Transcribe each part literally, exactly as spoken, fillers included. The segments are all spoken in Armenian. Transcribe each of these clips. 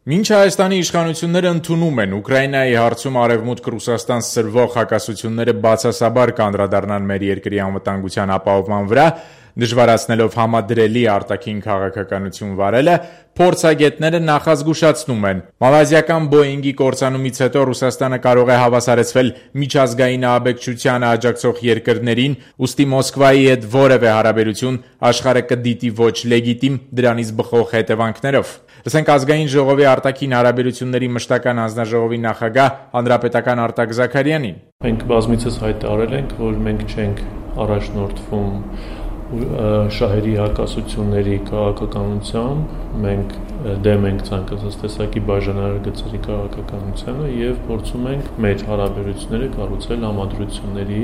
Մինչ Հայաստանի իշխանությունները ընդունում են Ուկրաինայի հարցում Արևմուտք Ռուսաստան սրվող հակասությունները բացասաբար կանդրադառնան մեր երկրի անվտանգության ապահովման վրա, դժվարացնելով համադրելի արտաքին քաղաքականություն վարելը, փորձագետները նախազգուշացնում են. մալազիական Բոյինգի կործանումից հետո Ռուսաստանը կարող է հավասարեցվել միջազգային ահաբեկչությանը աջակցող երկրներին, ուստի Մոսկվայի հետ որևէ հարաբերություն աշխարհը կդիտի ոչ լեգիտիմ, դրանից բխող հետևանքներով։ Լսենք Ազգային ժողովի արտաքին հարաբերությունների մշտական հանձնաժողովի նախագահ հանրապետական Արտակ Զաքարյանին։ Մենք բազմիցս հայտարարել ենք, որ մենք չենք առաջնորդվում շահերի հակասությունների քաղաքականությամբ, մենք դեմ ենք ցանկացած տեսակի բաժանարար գծերի քաղաքականությանը եւ փորձում ենք մեր հարաբերությունները կառուցել համադրությունների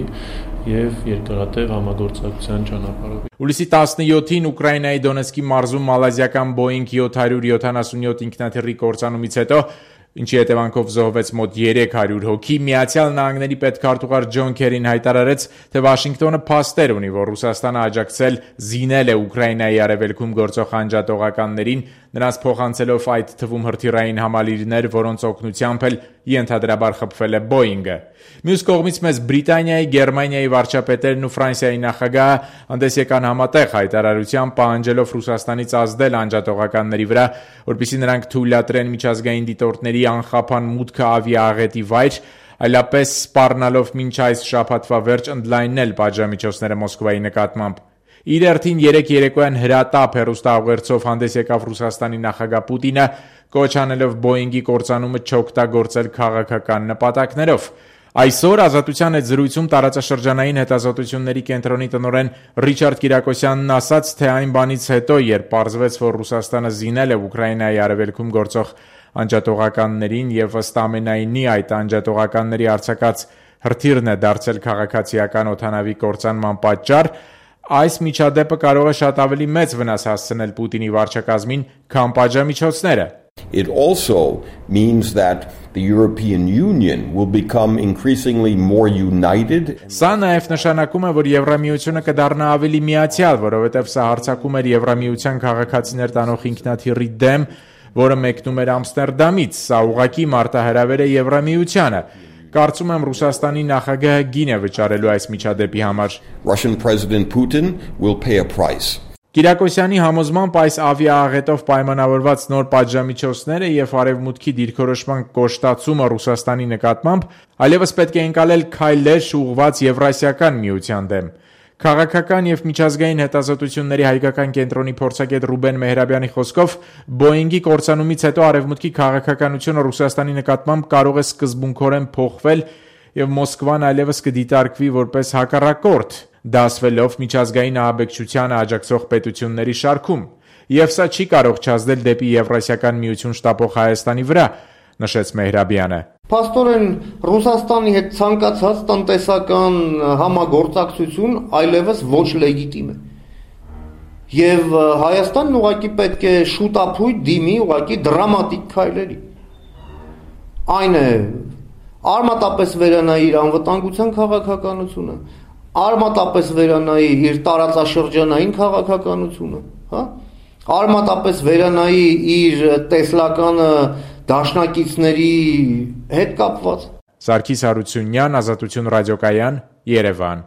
եւ երկարատև համագործակցության ճանապարհով։ Հուլիսի տասնյոթին Ուկրաինայի Դոնեցկի մարզում մալազիական Boeing seven seventy-seven ինքնաթիռի կործանումից հետո, ինչի հետևանքով զոհվեց մոտ երեք հարյուր հոգի, Միացյալ Նահանգների պետքարտուղար Ջոն Քերին հայտարարեց, թե Վաշինգտոնը փաստեր ունի, որ Ռուսաստանը աջակցել զինել է Ուկրաինայի արևելքում գործող անջատողականներին, նրանց փոխանցելով այդ թվում հրթիռային համալիրներ, որոնց օգնությամբ էլ ենթադրաբար խփվել է Boeing-ը։ Մյուս կողմից մեզ Բրիտանիայի, Գերմանիայի վարչապետերն ու Ֆրանսիայի նախագահը հանդես եկան համատեղ հայտարարությամբ, պահանջելով Ռուսաստանից ազդել անջատողականների վրա, որպեսզի նրանք թույլատրեն միջազգային դիտորդների անխափան մուտքը ավիաաղետի վայր, այլապես սպառնալով մինչ այս շաբաթվա վերջ ընդլայնել պատժամիջոցները Մոսկվայի նկատմամբ։ Իր հերթին երեկ երեկոյան հրատապ հեռուստաուղերձով հանդես եկավ Ռուսաստանի նախագահ Պուտինը, կոչ անելով Boeing-ի կործանումը չօգտագործել քաղաքական նպատակներով։ Այսօր Ազատության հետ զրույցում տարածաշրջանային հետազոտությունների կենտրոնի տնօրեն Ռիչարդ Կիրակոսյանն ասաց, թե այն բանից հետո, երբ պարզվեց, որ Ռուսաստանը զինել է Ուկրաինայի արևելքում գործող անջատողականներին եւ ըստ ամենայնի այդ անջատողականների արձակած հրթիռն է դարձել քաղաքացիական օդանավի կործանման պատճառ, այս միջադեպը կարող է շատ ավելի մեծ վնաս հասցնել Պուտինի վարչակազմին, քան պատժամիջոցները։ It also means that the European Union will become increasingly more united. Սա նաև նշանակում է, որ Եվրամիությունը կդառնա ավելի միացյալ, որովհետև սա հարձակում էր Եվրամիության քաղաքացիներ տանող ինքնաթիռի դեմ, որը մեկնում էր Ամստերդամից։ Սա ուղղակի մարտահրավեր է Եվրամիությանը։ Կարծում եմ Ռուսաստանի նախագահը գին է վճարելու այս միջադեպի համար։ Russian President Putin will pay a price. Կիրակոսյանի համոզմամբ այս ավիաաղետով պայմանավորված նոր պատժամիջոցները եւ արևմուտքի դիրքորոշման կոշտացումը Ռուսաստանի նկատմամբ այլևս պետք է ընկալել քայլեր ուղղված Եվրասիական միության դեմ։ Քաղաքական եւ միջազգային հետազոտությունների հայկական կենտրոնի փորձագետ Ռուբեն Մեհրաբյանի խոսքով Boeing-ի կործանումից հետո արևմուտքի քաղաքականությունը Ռուսաստանի նկատմամբ կարող է սկզբունքորեն փոխվել եւ Մոսկվան այլևս կդիտարկվի որպես հակառակորդ, դասվելով միջազգային ահաբեկչությանը աջակցող պետությունների շարքում, եւ սա չի կարող չազդել դեպի Եվրասիական միություն շտապող Հայաստանի վրա, նշեց Մեհրաբյանը։ Փաստորեն Ռուսաստանի հետ ցանկացած տնտեսական համագործակցություն այլևս ոչ լեգիտիմ է։ Եվ Հայաստանն ուղղակի պետք է շուտափույթ դիմի ուղղակի դրամատիկ քայլերի։ Այն է արմատապես վերանայի իր անվտանգության քաղաքականությունը, արմատապես վերանայի իր տարածաշրջանային քաղաքականությունը, հա? Արմատապես վերանայի իր տեսլականը դաշնակիցների հետ կապված։ Սարգիս Հարությունյան, Ազատություն ռադիոկայան, Երևան։